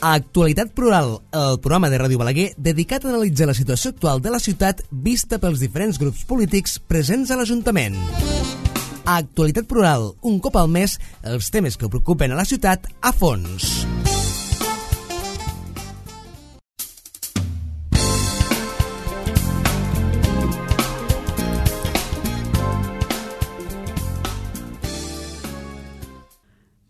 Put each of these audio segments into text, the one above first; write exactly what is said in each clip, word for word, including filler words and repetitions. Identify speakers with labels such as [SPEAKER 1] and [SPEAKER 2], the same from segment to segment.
[SPEAKER 1] Actualitat Plural, el programa de Ràdio Balaguer dedicat a analitzar la situació actual de la ciutat vista pels diferents grups polítics presents a l'Ajuntament. Actualitat Plural, un cop al mes, els temes que preocupen a la ciutat a fons.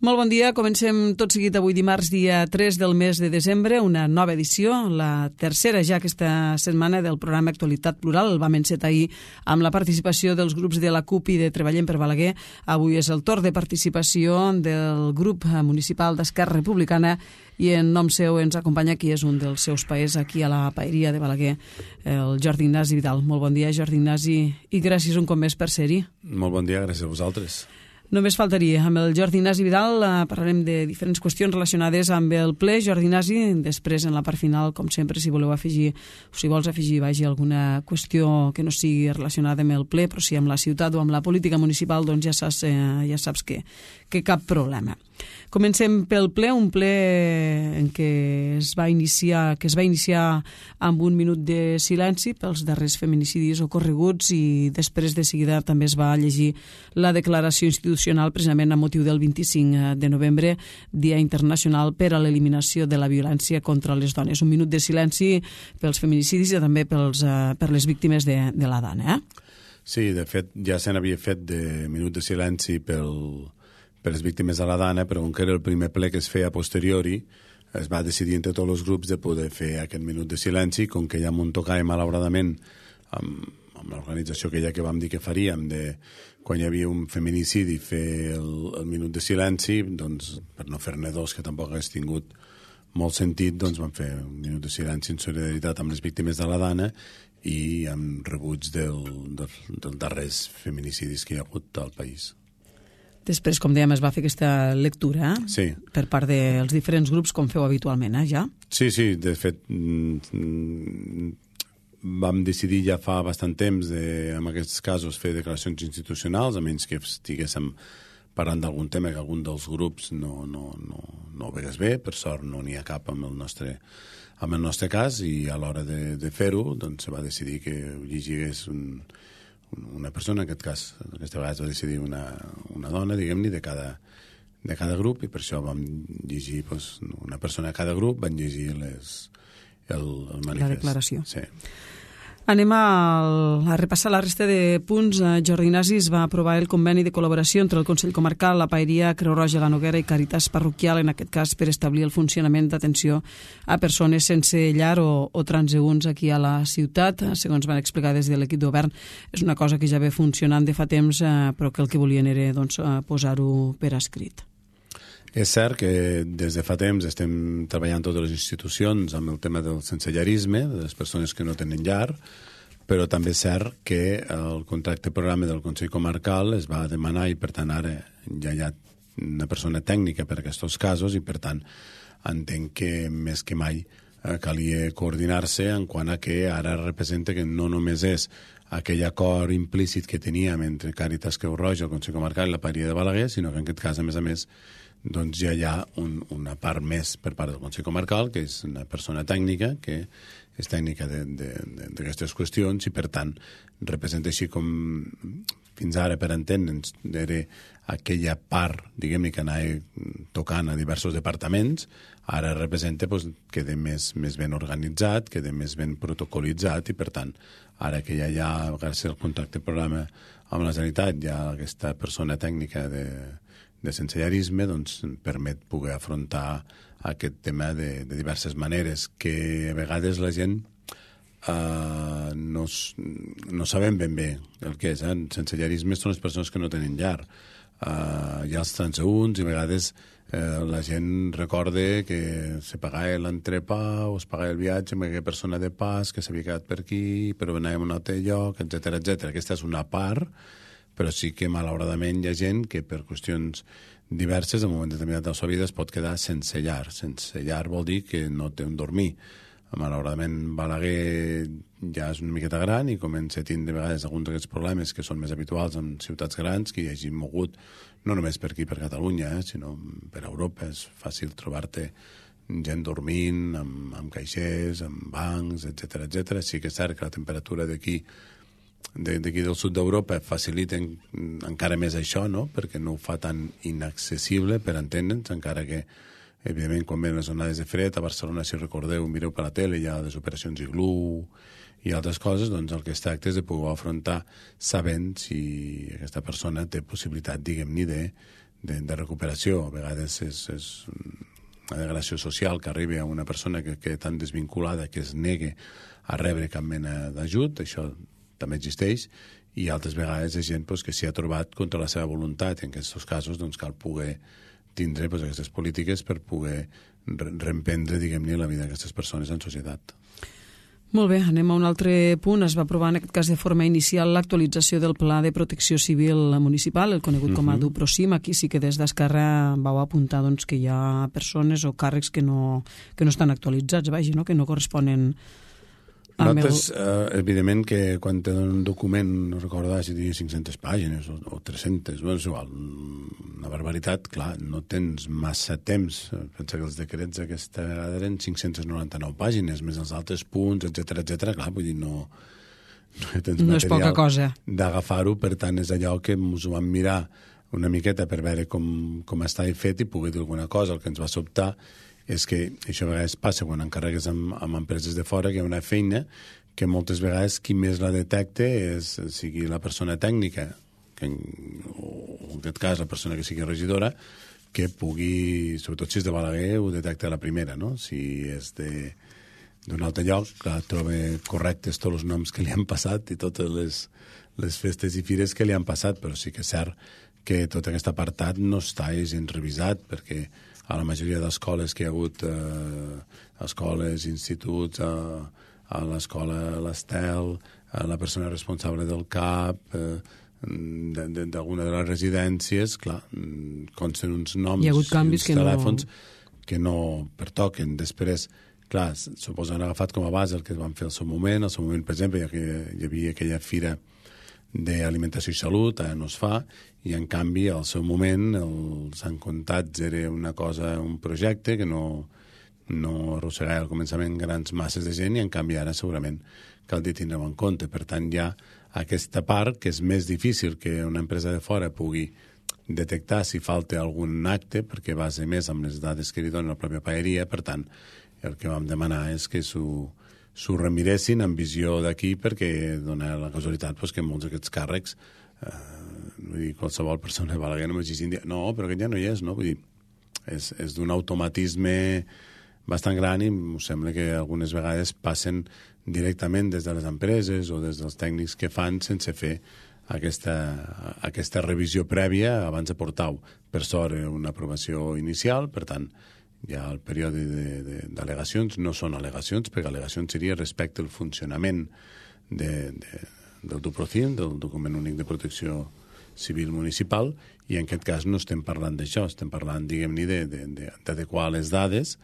[SPEAKER 2] Molt bon dia, comencem tot seguit avui dimarts, dia tres del mes de desembre, una nova edició, la tercera ja aquesta setmana del programa Actualitat Plural. El vam encetar ahir amb la participació dels grups de la CUP i de Treballem per Balaguer. Avui és el torn de participació del grup municipal d'Esquerra Republicana i en nom seu ens acompanya qui és un dels seus paers aquí a la paeria de Balaguer, el Jordi Ignasi Vidal. Molt bon dia, Jordi Ignasi, i gràcies un cop més per ser-hi.
[SPEAKER 3] Molt bon dia, gràcies a vosaltres.
[SPEAKER 2] Només faltaria. Amb el Jordi Ignasi Vidal eh, parlarem de diferents qüestions relacionades amb el ple. Jordi Ignasi, després en la part final, com sempre, si voleu afegir, o si vols afegir, vagi alguna qüestió que no sigui relacionada amb el ple, però si amb la ciutat o amb la política municipal, doncs ja saps, eh, ja saps que, que cap problema. Comencem pel ple, un ple en què es va iniciar, que es va iniciar amb un minut de silenci pels darrers feminicidis ocorreguts i després de seguida també es va llegir la declaració institucional precisament a motiu del vint-i-cinc de novembre, Dia Internacional per a l'Eliminació de la Violència contra les Dones. Un minut de silenci pels feminicidis i també pels, uh, per les víctimes de, de la dona. Eh?
[SPEAKER 3] Sí, de fet, ja se n'havia fet de minut de silenci pel... per les víctimes de la dana, però com que era el primer ple que es feia a posteriori, es va decidir entre tots els grups de poder fer aquest minut de silenci, com que ja m'ho tocava malauradament amb, amb l'organització que ja que vam dir que faríem, de quan hi havia un feminicidi fer el, el minut de silenci, doncs per no fer-ne dos, que tampoc hagués tingut molt sentit, doncs vam fer un minut de silenci en solidaritat amb les víctimes de la dana i amb rebuig del, del, dels darrers feminicidis que hi ha hagut al país.
[SPEAKER 2] Després, com dèiem, es va fer aquesta lectura eh?
[SPEAKER 3] sí.
[SPEAKER 2] per part dels diferents grups, com feu habitualment, eh, ja?
[SPEAKER 3] Sí, sí, de fet, vam decidir ja fa bastant temps, de, en aquests casos, fer declaracions institucionals, a menys que estiguéssim parlant d'algun tema que algun dels grups no, no, no, no ho vegués bé. Per sort no n'hi ha cap amb el nostre, amb el nostre cas, i a l'hora de, de fer-ho doncs, se va decidir que ho llegís un... una persona, en aquest cas, aquesta vegada es va decidir una, una dona, diguem-ne, de cada, de cada grup, i per això vam llegir, doncs, una persona de cada grup, van llegir les, el, el manifest.
[SPEAKER 2] La declaració.
[SPEAKER 3] Sí.
[SPEAKER 2] Anem a, a repassar la resta de punts. Jordi Ignasi es va aprovar el conveni de col·laboració entre el Consell Comarcal, la Paeria, Creu Roja, la Noguera i Càritas Parroquial, en aquest cas per establir el funcionament d'atenció a persones sense llar o, o transeünts aquí a la ciutat. Segons van explicar des de l'equip de govern, és una cosa que ja ve funcionant de fa temps, eh, però que el que volien era doncs, posar-ho per escrit.
[SPEAKER 3] És cert que des de fa temps estem treballant totes les institucions amb el tema del sensellarisme, de les persones que no tenen llar, però també és cert que el contracte programa del Consell Comarcal es va demanar i, per tant, ara ja hi ha una persona tècnica per a aquests casos i, per tant, entenc que més que mai calia coordinar-se en quant a que ara representa que no només és aquell acord implícit que teníem entre Càritas, Creu Roja, el Consell Comarcal i la Paeria de Balaguer, sinó que en aquest cas, a més a més, doncs ja hi ha un, una part més per part del Consell Comarcal, que és una persona tècnica, que és tècnica d'aquestes qüestions i, per tant, representa així com fins ara, per entendre'ns, era aquella part, diguem-ne, que anava tocant a diversos departaments, ara representa doncs, que queda més, més ben organitzat, queda més ben protocolitzat i, per tant, ara que ja hi ha, gràcies al contracte programa amb la Generalitat, hi ha aquesta persona tècnica de de sensellarisme, doncs permet poder afrontar aquest tema de, de diverses maneres, que a vegades la gent eh, no, no sabem ben bé el que és. Eh? Sensellarisme són les persones que no tenen llar. Eh, hi ha els transeünts i a vegades eh, la gent recorda que se pagava l'entrepà o es pagava el viatge amb aquella persona de pas que s'havia quedat per aquí, però anàvem a un altre lloc, etcètera, etcètera. Aquesta és una part, però sí que malauradament hi ha gent que per qüestions diverses en un moment determinat de la seva vida es pot quedar sense llar. Sense llar vol dir que no té on dormir. Malauradament Balaguer ja és una miqueta gran i comença a tindre de vegades alguns d'aquests problemes que són més habituals en ciutats grans, que hi hagi mogut no només per aquí, per Catalunya, eh, sinó per Europa. És fàcil trobar-te gent dormint, amb, amb caixers, amb bancs, etcètera, etcètera. Sí que és cert que la temperatura d'aquí d'aquí del sud d'Europa faciliten encara més això, no? Perquè no ho fa tan inaccessible per entendre'ns, encara que, evidentment, quan venen les onades de fred, a Barcelona, si recordeu, mireu per la tele, hi ha les operacions Iglú i altres coses, doncs el que es tracta és de poder afrontar sabent si aquesta persona té possibilitat, diguem-ne, de, de, de recuperació. A vegades és, és una degradació social que arribi a una persona que queda tan desvinculada que es negue a rebre cap mena d'ajut, això també existeix, i altres vegades és gent pues, que s'hi ha trobat contra la seva voluntat, i en aquests casos doncs, cal poder tindre pues, aquestes polítiques per poder reemprendre, diguem-ne, la vida d'aquestes persones en societat.
[SPEAKER 2] Molt bé, anem a un altre punt. Es va aprovar en aquest cas de forma inicial l'actualització del Pla de Protecció Civil Municipal, el conegut com a DuProCim. Aquí sí que des d'Esquerra vau apuntar doncs, que hi ha persones o càrrecs que no, que no estan actualitzats, vagi, no? Que no corresponen
[SPEAKER 3] Nosaltres, el... eh, evidentment, que quan te donen un document, no recordo si tenia cinc-centes pàgines o, o tres-centes, bueno, és igual, una barbaritat, clar, no tens massa temps. Pensa que els decrets aquesta vegada eren cinc-centes noranta-nou pàgines, més els altres punts, etcètera, etcètera, clar, vull dir, no, no tens
[SPEAKER 2] no és poca cosa
[SPEAKER 3] d'agafar-ho, per tant, és allò que ens ho vam mirar una miqueta per veure com, com estava fet i poder dir alguna cosa. El que ens va sobtar és que això a vegades passa quan encarregues amb, amb empreses de fora, que hi ha una feina que moltes vegades qui més la detecta és, sigui la persona tècnica, que en, o en aquest cas la persona que sigui regidora, que pugui, sobretot si és de Balaguer, ho detecta a la primera, no? Si és de d'un altre lloc, clar, troba correctes tots els noms que li han passat i totes les, les festes i fires que li han passat, però sí que és cert que tot aquest apartat no està gens revisat, perquè a la majoria d'escoles que hi ha hagut, eh, escoles, instituts, eh, a l'escola l'Estel, a la persona responsable del C A P, eh, d'alguna de, de les residències, clar, consten uns noms i uns telèfons que no... que no pertoquen. Després, clar, suposo han agafat com a base el que van fer al seu moment. Al seu moment, per exemple, hi, hi havia aquella fira d'alimentació i salut, ara no es fa, i en canvi al seu moment els encontats era una cosa, un projecte que no, no arrossegava al començament grans masses de gent, i en canvi ara segurament cal dir tindre-ho en compte. Per tant, hi ha aquesta part que és més difícil que una empresa de fora pugui detectar si falta algun acte, perquè base més amb les dades que li dona la pròpia paeria. Per tant, el que vam demanar és que s'ho s'ho remiressin amb visió d'aquí, perquè dona la casualitat pues, que molts d'aquests càrrecs, eh, vull dir, qualsevol persona de Balaguer no m'exigin dir, no, però aquest ja no hi és, no? Vull dir, és, és d'un automatisme bastant gran, i em sembla que algunes vegades passen directament des de les empreses o des dels tècnics que fan sense fer aquesta, aquesta revisió prèvia abans de portar-ho. Per sort, una aprovació inicial, per tant, ja el període d'al·legacions no són al·legacions, perquè al·legacions seria respecte al funcionament de, de, del DuProCim, del document únic de protecció civil municipal, i en aquest cas no estem parlant d'això, estem parlant, diguem-ne, d'adequar les dades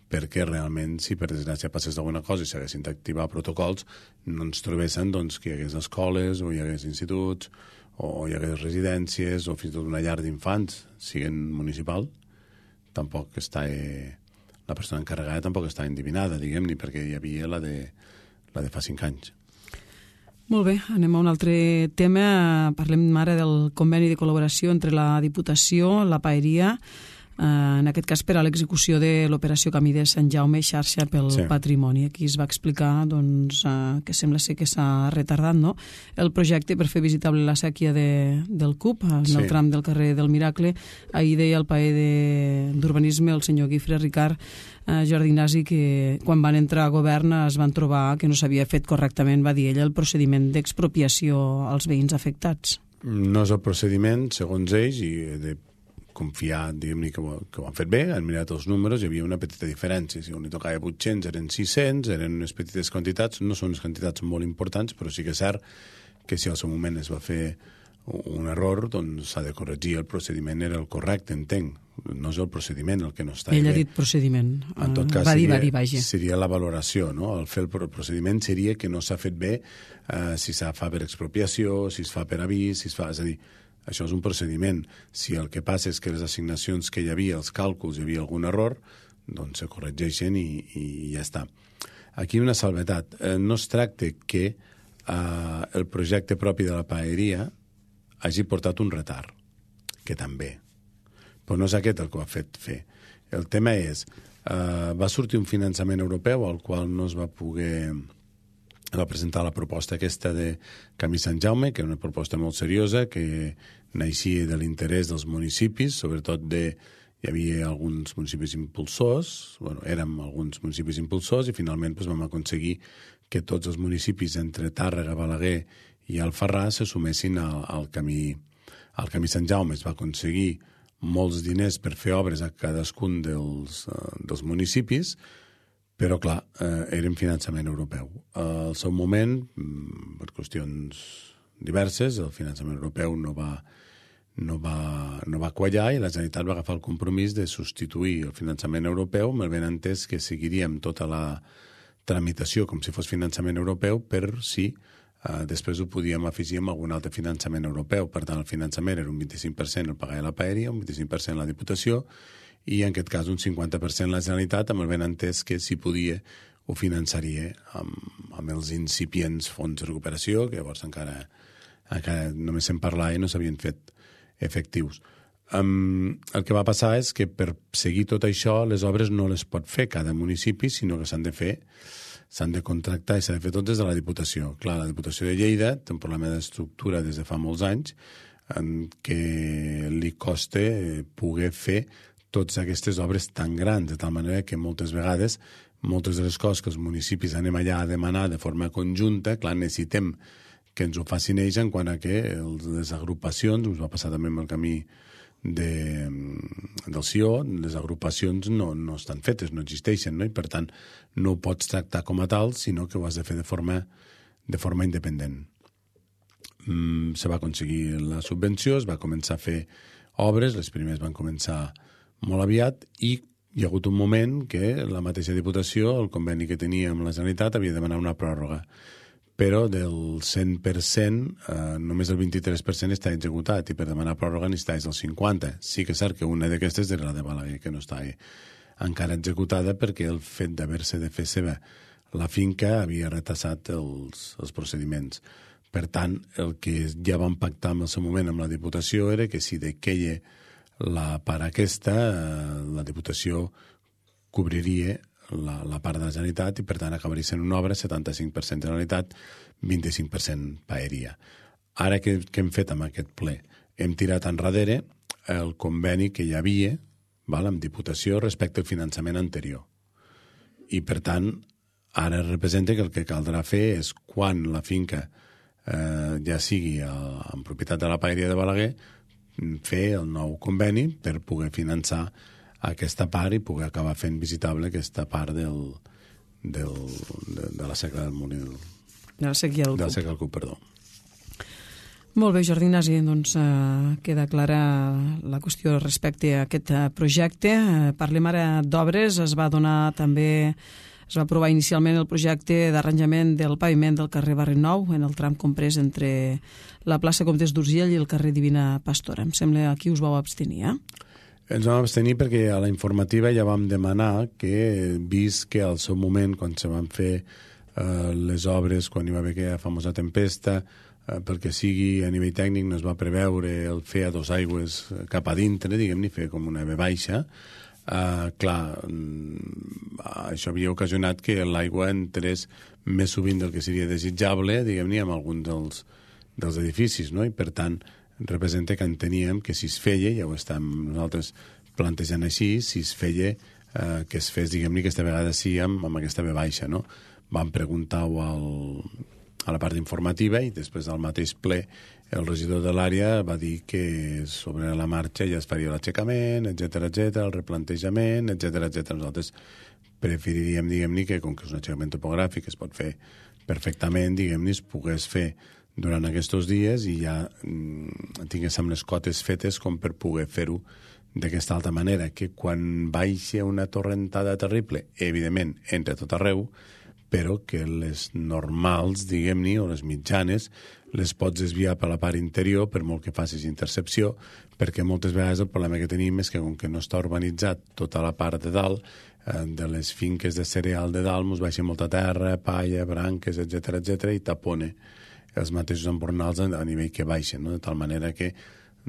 [SPEAKER 3] perquè realment, si per desgràcia passés alguna cosa i s'haguessin d'activar protocols, no ens trobessin doncs, que hi hagués escoles o hi hagués instituts o hi hagués residències o fins i tot una llar d'infants, siguin municipal. Tampoc està, eh, la persona encarregada tampoc està endivinada, diguem-ne, perquè hi havia la de, la de fa cinc anys.
[SPEAKER 2] Molt bé, anem a un altre tema. Parlem ara del conveni de col·laboració entre la Diputació, la Paeria, en aquest cas per a l'execució de l'operació Camí de Sant Jaume, xarxa pel sí. Patrimoni. Aquí es va explicar doncs, que sembla ser que s'ha retardat, no?, el projecte per fer visitable la sèquia de, del C U P, en sí. el tram del carrer del Miracle. Ahir deia el paer d'Urbanisme, el senyor Guifre Ricard, eh, Jordi Ignasi, que quan van entrar a govern es van trobar que no s'havia fet correctament, va dir ell, el procediment d'expropiació als veïns afectats.
[SPEAKER 3] No és el procediment, segons ells, i de confiar, diguem-ne, que, que ho han fet bé, han mirat els números, hi havia una petita diferència. Si on li tocava vuit-cents eren sis-cents, eren unes petites quantitats, no són unes quantitats molt importants, però sí que és cert que si al seu moment es va fer un error, doncs s'ha de corregir. El procediment era el correcte, entenc. No és el procediment el que no està bé.
[SPEAKER 2] Ell ha dit procediment.
[SPEAKER 3] En tot cas,
[SPEAKER 2] va dir,
[SPEAKER 3] seria,
[SPEAKER 2] va dir, vaja.
[SPEAKER 3] seria la valoració, no? El fer el procediment seria que no s'ha fet bé, eh, si s'ha fa per expropiació, si es fa per avís, si es fa... És a dir, Això és un procediment. Si el que passa és que les assignacions que hi havia, els càlculs, hi havia algun error, doncs se corregeixen i, i ja està. Aquí una salvetat. Eh, no es tracta que eh, el projecte propi de la paeria hagi portat un retard, que també. Però no és aquest el que ho ha fet fer. El tema és, eh, va sortir un finançament europeu al qual no es va poder... va presentar la proposta aquesta de Camí Sant Jaume, que és una proposta molt seriosa, que naixia de l'interès dels municipis, sobretot de... Hi havia alguns municipis impulsors, bueno, érem alguns municipis impulsors, i finalment doncs, vam aconseguir que tots els municipis entre Tàrrega, Balaguer i Alfarràs se sumessin al, al, camí, al camí Sant Jaume. Es va aconseguir molts diners per fer obres a cadascun dels, uh, dels municipis, però, clar, eh, era un finançament europeu. Al seu moment, per qüestions diverses, el finançament europeu no va, no va, no va quallar i la Generalitat va agafar el compromís de substituir el finançament europeu, amb el ben entès que seguiríem tota la tramitació com si fos finançament europeu, per si eh, després ho podíem afegir amb algun altre finançament europeu. Per tant, el finançament era un vint-i-cinc per cent el pagava la paeria, un vint-i-cinc per cent la Diputació, i en aquest cas un cinquanta per cent la Generalitat, amb el ben entès que si podia ho finançaria amb, amb els incipients fons de recuperació, que llavors encara, encara només se'n parlava i no s'havien fet efectius. Um, el que va passar és que per seguir tot això les obres no les pot fer cada municipi, sinó que s'han de fer, s'han de contractar i s'ha de fer tot des de la Diputació. Clar, la Diputació de Lleida té un problema d'estructura des de fa molts anys en què li costa poder fer totes aquestes obres tan grans, de tal manera que moltes vegades, moltes de les coses que els municipis anem allà a demanar de forma conjunta, clar, necessitem que ens ho facin ells en quant a que les agrupacions, us va passar també amb el camí de, del C I O, les agrupacions no, no estan fetes, no existeixen, no? I per tant no ho pots tractar com a tal, sinó que ho has de fer de forma, de forma independent. Mm, se va aconseguir la subvenció, es va començar a fer obres, les primeres van començar molt aviat, i hi ha hagut un moment que la mateixa Diputació, el conveni que tenia amb la Generalitat, havia de demanar una pròrroga. Però del cent per cent, eh, només el vint-i-tres per cent està executat, i per demanar pròrroga necessitaves el cinquanta per cent. Sí que és cert que una d'aquestes era la de Balaguer, que no estava encara executada perquè el fet d'haver-se de fer seva la finca havia retasat els, els procediments. Per tant, el que ja vam pactar en el seu moment amb la Diputació era que si de queia la part aquesta, la Diputació cobriria la, la part de la Generalitat i, per tant, acabaria sent una obra setanta-cinc per cent Generalitat, vint-i-cinc per cent paeria. Ara, què, què hem fet amb aquest ple? Hem tirat enrere el conveni que hi havia, val, amb Diputació respecte al finançament anterior. I, per tant, ara representa que el que caldrà fer és, quan la finca eh, ja sigui a, en propietat de la paeria de Balaguer, fer el nou conveni per poder finançar aquesta part i poder acabar fent visitable aquesta part del, del, de, de la seca del Molí del,
[SPEAKER 2] de la sequia del
[SPEAKER 3] de la seca del Cup, perdó.
[SPEAKER 2] Molt bé, Jordi Ignasi, doncs eh, queda clara la qüestió respecte a aquest eh, projecte. Eh, parlem ara d'obres. Es va donar també, es va aprovar inicialment el projecte d'arranjament del paviment del carrer Barri Nou en el tram comprès entre la plaça Comtes d'Urgell i el carrer Divina Pastora. Em sembla que aquí us vau abstenir, eh?
[SPEAKER 3] Ens vam abstenir perquè a la informativa ja vam demanar que, vist que al seu moment, quan se van fer eh, les obres, quan hi va haver aquella famosa tempesta, eh, perquè sigui a nivell tècnic no es va preveure el fer a dos aigües cap a dintre, diguem-ne, fer com una ve baixa. Uh, clar, això havia ocasionat que l'aigua entrés més sovint del que seria desitjable, diguem-ne, en alguns dels, dels edificis, no? I per tant representa que enteníem que si es feia, ja ho estem nosaltres plantejant així, si es feia uh, que es fes, diguem-ne, aquesta vegada sí amb, amb aquesta ve baixa, no? Vam preguntar-ho al, a la part informativa i després al mateix ple el regidor de l'àrea va dir que sobre la marxa ja es faria l'aixecament, etcètera, etcètera, el replantejament, etcètera, etcètera. Nosaltres preferiríem, diguem-ne, que com que és un aixecament topogràfic es pot fer perfectament, diguem-ne, es pogués fer durant aquests dies i ja mm, tinguéssim les cotes fetes com per poder fer-ho d'aquesta altra manera, que quan baixa una torrentada terrible, evidentment, entra tot arreu, però que les normals, diguem-ne, o les mitjanes, les pots desviar per la part interior per molt que facis intercepció, perquè moltes vegades el problema que tenim és que com que no està urbanitzat tota la part de dalt, eh, de les finques de cereal de dalt, ens baixa molta terra, palla, branques, etcètera, etcètera, i tapone els mateixos embornals a, a nivell que baixen, no? De tal manera que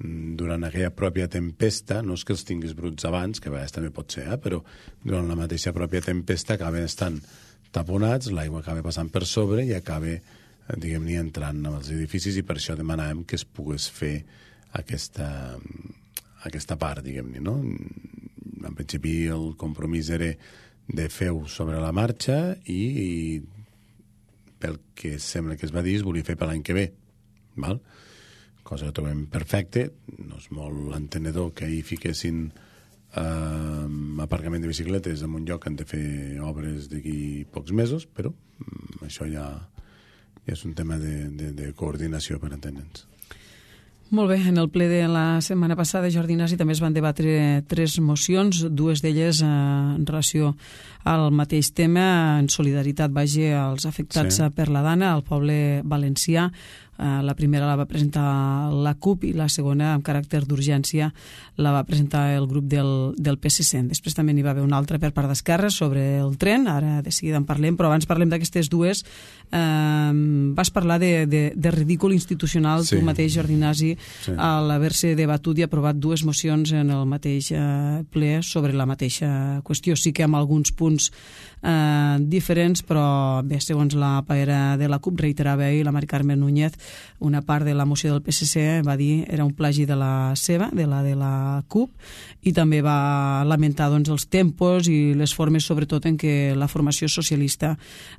[SPEAKER 3] durant aquella pròpia tempesta, no és que els tinguis bruts abans, que a vegades també pot ser, eh? Però durant la mateixa pròpia tempesta acaben estant taponats, l'aigua acaba passant per sobre i acaba, diguem-ne, entrant als edificis, i per això demanàvem que es pogués fer aquesta, aquesta part, diguem-ne, no? En principi el compromís era de fer-ho sobre la marxa i, i pel que sembla que es va dir es volia fer per l'any que ve, val? Cosa que trobem perfecte, no és molt entenedor que hi fiquessin eh, aparcament de bicicletes en un lloc que han de fer obres d'aquí pocs mesos, però mm, això ja, ja és un tema de, de, de coordinació, per entendre'ns.
[SPEAKER 2] Molt bé, en el ple de la setmana passada, Jordi Nasi, també es van debatre tres mocions, dues d'elles eh, en relació al mateix tema, en solidaritat, vaja, als afectats sí. per la Dana, al poble valencià. Uh, la primera la va presentar la CUP i la segona, amb caràcter d'urgència, la va presentar el grup del, del P S C. Després també n'hi va haver una altra per part d'Esquerra sobre el tren, ara de seguida en parlem, però abans parlem d'aquestes dues. Uh, vas parlar de, de, de ridícul institucional, sí. Tu mateix, Jordi Nasi, sí. a l'haver-se debatut i aprovat dues mocions en el mateix uh, ple sobre la mateixa qüestió. Sí que amb alguns punts uh, diferents, però bé, segons la paera de la CUP, reiterava ahir la Mari Carmen Núñez, una part de la moció del P S C va dir era un plagi de la seva, de la de la CUP, i també va lamentar doncs, els tempos i les formes, sobretot en què la formació socialista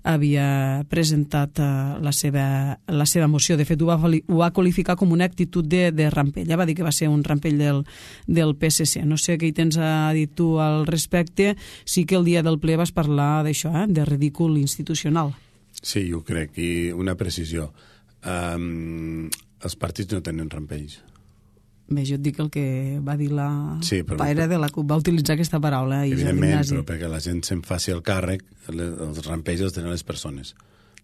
[SPEAKER 2] havia presentat uh, la, seva, la seva moció. De fet, ho va, ho va qualificar com una actitud de, de rampell. Ja va dir que va ser un rampell del, del P S C. No sé què hi tens a dir tu al respecte. Sí que el dia del ple vas parlar d'això, eh? De ridícul institucional.
[SPEAKER 3] Sí, jo crec. I una precisió. Um, els partits no tenen rampells.
[SPEAKER 2] Bé, jo et dic el que va dir la
[SPEAKER 3] sí, però,
[SPEAKER 2] paera de la CUP, va utilitzar aquesta paraula. I
[SPEAKER 3] evidentment, però perquè la gent se'n faci el càrrec, els rampells els tenen les persones.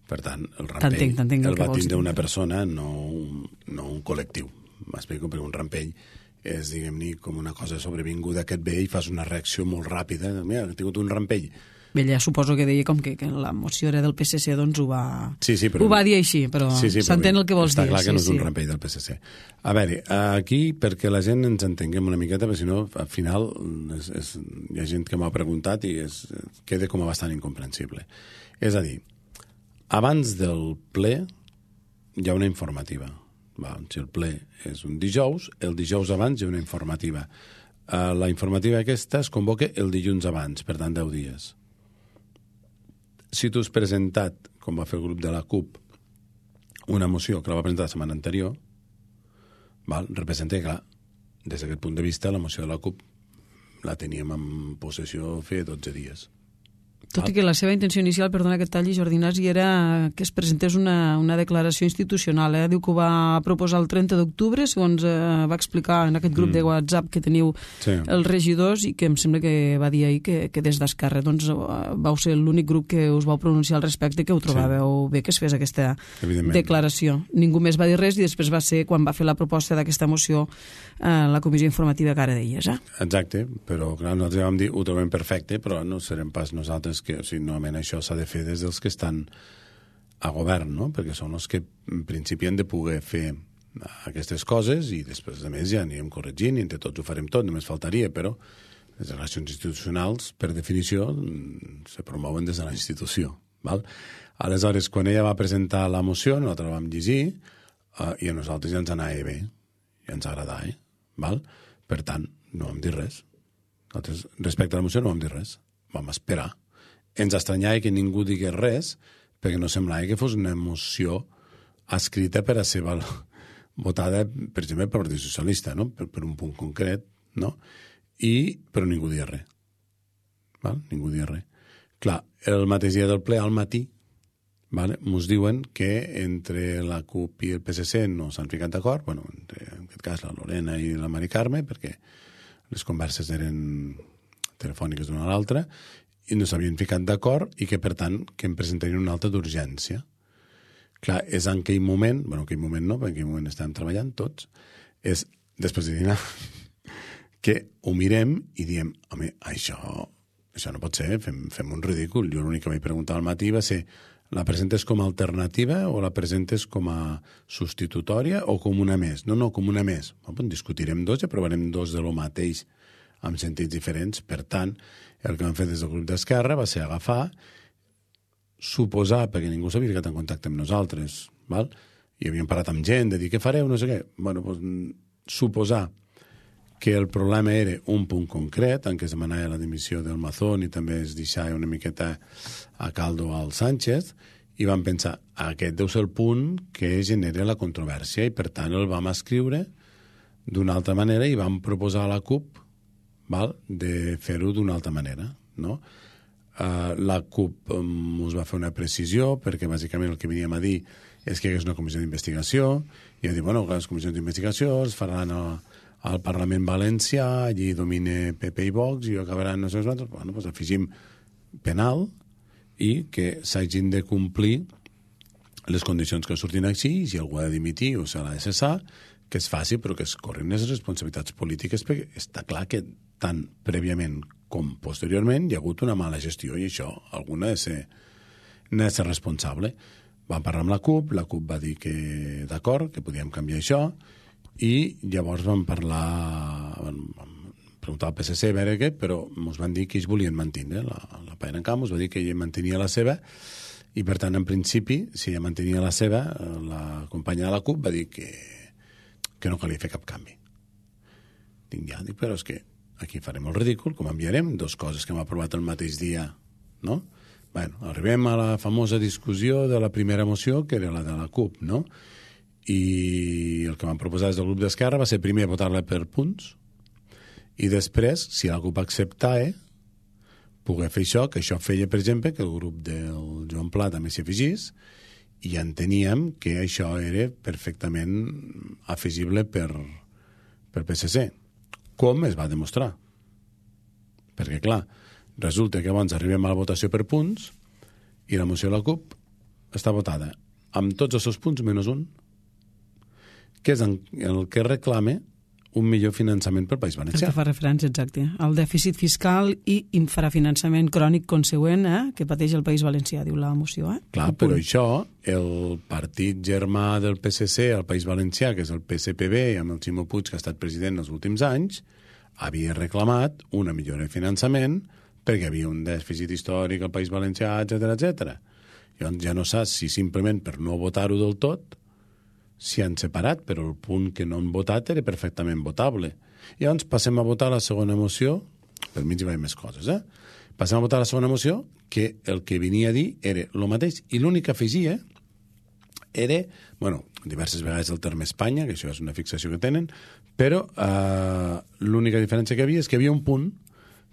[SPEAKER 3] Per tant, el rampell
[SPEAKER 2] t'entenc, t'entenc
[SPEAKER 3] el, el va tindre una
[SPEAKER 2] dir.
[SPEAKER 3] persona, no un, no un col·lectiu. M'explico, perquè un rampell és, diguem-ne, com una cosa sobrevinguda que et ve i fas una reacció molt ràpida. Mira, he tingut un rampell.
[SPEAKER 2] Bé, ja suposo que deia com que, que la moció era del P S C, doncs ho va,
[SPEAKER 3] sí, sí, però,
[SPEAKER 2] ho va dir així, però
[SPEAKER 3] sí, sí,
[SPEAKER 2] s'entén el que vols
[SPEAKER 3] està
[SPEAKER 2] dir.
[SPEAKER 3] Està clar que
[SPEAKER 2] sí,
[SPEAKER 3] no és
[SPEAKER 2] sí.
[SPEAKER 3] un rampell del P S C. A veure, aquí, perquè la gent ens entenguem una miqueta, perquè si no, al final és, és, hi ha gent que m'ha preguntat i és, queda com a bastant incomprensible. És a dir, abans del ple hi ha una informativa. Va, si el ple és un dijous, el dijous abans hi ha una informativa. Uh, la informativa aquesta es convoca el dilluns abans, per tant, deu dies. Si tu has presentat, com va fer el grup de la CUP, una moció que la va presentar la setmana anterior, val? Representa que, clar, des d'aquest punt de vista, la moció de la CUP la teníem en possessió feia dotze dies.
[SPEAKER 2] Tot i que la seva intenció inicial, perdona que et talli, Jordi Nasi, era que es presentés una, una declaració institucional. Eh? Diu que ho va proposar el trenta d'octubre, segons eh, va explicar en aquest grup mm. de WhatsApp que teniu sí. els regidors, i que em sembla que va dir ahir que, que des d'Esquerra doncs, vau ser l'únic grup que us vau pronunciar al respecte, que ho trobàveu sí. bé que es fes aquesta declaració. Ningú més va dir res i després va ser quan va fer la proposta d'aquesta moció eh, la comissió informativa que ara deies. Eh?
[SPEAKER 3] Exacte, però clar, nosaltres vam dir ho trobem perfecte, però no serem pas nosaltres que, o sigui, normalment això s'ha de fer des dels que estan a govern, no? Perquè són els que en principi han de poder fer aquestes coses i després, a més, ja anirem corregint i entre tots ho farem tot, només faltaria, però les relacions institucionals, per definició, se promouen des de la institució. Val? Aleshores, quan ella va presentar la moció, nosaltres la vam llegir uh, i a nosaltres ja ens anava bé, ja ens agradava, eh? Val? Per tant, no vam dir res. Nosaltres, respecte a la moció, no vam dir res. Vam esperar. Ens estranyava que ningú digués res, perquè no semblava que fos una moció escrita per a ser votada, per exemple, pel Partit Socialista, no? per, per un punt concret, no? I, però ningú dia res. Val? Ningú dia res. Clar, el mateix dia del ple, al matí, vale? Mos diuen que entre la CUP i el P S C no s'han ficat d'acord, bueno, entre, en aquest cas la Lorena i la Mari Carme, perquè les converses eren telefòniques d'una a l'altra, i no s'havien ficat d'acord i que, per tant, que em presentarien una alta d'urgència. Clar, és en aquell moment, bueno, en aquell moment no, perquè en aquell moment estàvem treballant tots, és, després de dinar, que ho mirem i diem, home, això, això no pot ser, fem, fem un ridícul. Jo l'únic que vaig preguntar al matí va ser, la presentes com a alternativa o la presentes com a substitutòria o com una més? No, no, com una més. Bueno, discutirem dos i aprovarem dos de lo mateix amb sentits diferents. Per tant, el que vam fer des del grup d'Esquerra va ser agafar, suposar, perquè ningú s'havia ficat en contacte amb nosaltres, val? I havíem parlat amb gent de dir què fareu, no sé què. Bueno, doncs, suposar que el problema era un punt concret, en què es demanava la dimissió del Mazón i també es deixava una miqueta a caldo al Sánchez, i vam pensar, aquest deu ser el punt que genera la controvèrsia, i per tant el vam escriure d'una altra manera i vam proposar a la CUP, val, de fer-ho d'una altra manera, no? Uh, la CUP um, us va fer una precisió, perquè bàsicament el que veníem a dir és que hi hagués una comissió d'investigació, i va dir, bueno, les comissions d'investigació es faran a, al Parlament Valencià, allí domine P P i Vox, i acabaran no sé quants, bueno, doncs afegim penal, i que s'hagin de complir les condicions que surtin així, i si algú ha de dimitir o s'ha de cessar, que es faci, però que es corrin les responsabilitats polítiques, perquè està clar que tant prèviament com posteriorment hi ha hagut una mala gestió i això, alguna ha de ser, n'ha de ser responsable. Vam parlar amb la CUP, la CUP va dir que d'acord, que podíem canviar això, i llavors vam parlar, vam preguntar al P S C a veure què, però ens van dir que ells volien mantenir, la, la PAENCAP ens va dir que ella mantenia la seva, i per tant, en principi, si ella mantenia la seva, la companya de la CUP va dir que que no calia fer cap canvi. Dic, ja, dic, però és que aquí farem el ridícul, com enviarem dos coses que hem aprovat el mateix dia, no? Bueno, arribem a la famosa discussió de la primera moció, que era la de la CUP, no? I el que vam proposar des del grup d'Esquerra va ser primer votar-la per punts i després, si la CUP acceptava, poder fer això, que això feia, per exemple, que el grup del Joan Pla també s'hi afegís, i enteníem que això era perfectament afegible per, per P S C. Com es va demostrar? Perquè, clar, resulta que abans arribem a la votació per punts i la moció de la CUP està votada amb tots els seus punts menys un, que és el que reclama un millor finançament pel País Valencià.
[SPEAKER 2] El que fa referència, exacte, al dèficit fiscal i infrafinançament crònic consegüent eh, que pateix el País Valencià, diu la moció. Eh?
[SPEAKER 3] Clar, però això, el partit germà del P S C al País Valencià, que és el P S P B, amb el Ximo Puig, que ha estat president els últims anys, havia reclamat una millora de finançament perquè hi havia un dèficit històric al País Valencià, etcètera, etcètera. Llavors ja no saps si simplement per no votar-ho del tot s'hi han separat, però el punt que no han votat era perfectament votable. I llavors passem a votar la segona moció, per mig hi va haver més coses, eh? Passem a votar la segona moció, que el que venia a dir era el mateix, i l'únic que afegia era, bueno, diverses vegades el terme Espanya, que això és una fixació que tenen, però eh, l'única diferència que hi havia és que hi havia un punt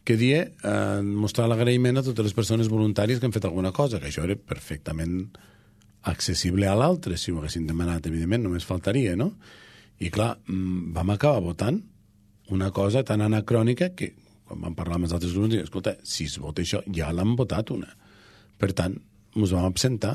[SPEAKER 3] que dia eh, mostrar l'agraïment a totes les persones voluntàries que han fet alguna cosa, que això era perfectament accessible a l'altre, si ho haguessin demanat, evidentment, només faltaria, no? I clar, vam acabar votant una cosa tan anacrònica que, quan vam parlar amb els altres grups, escolta, si es vota això, ja l'han votat una. Per tant, ens vam absentar.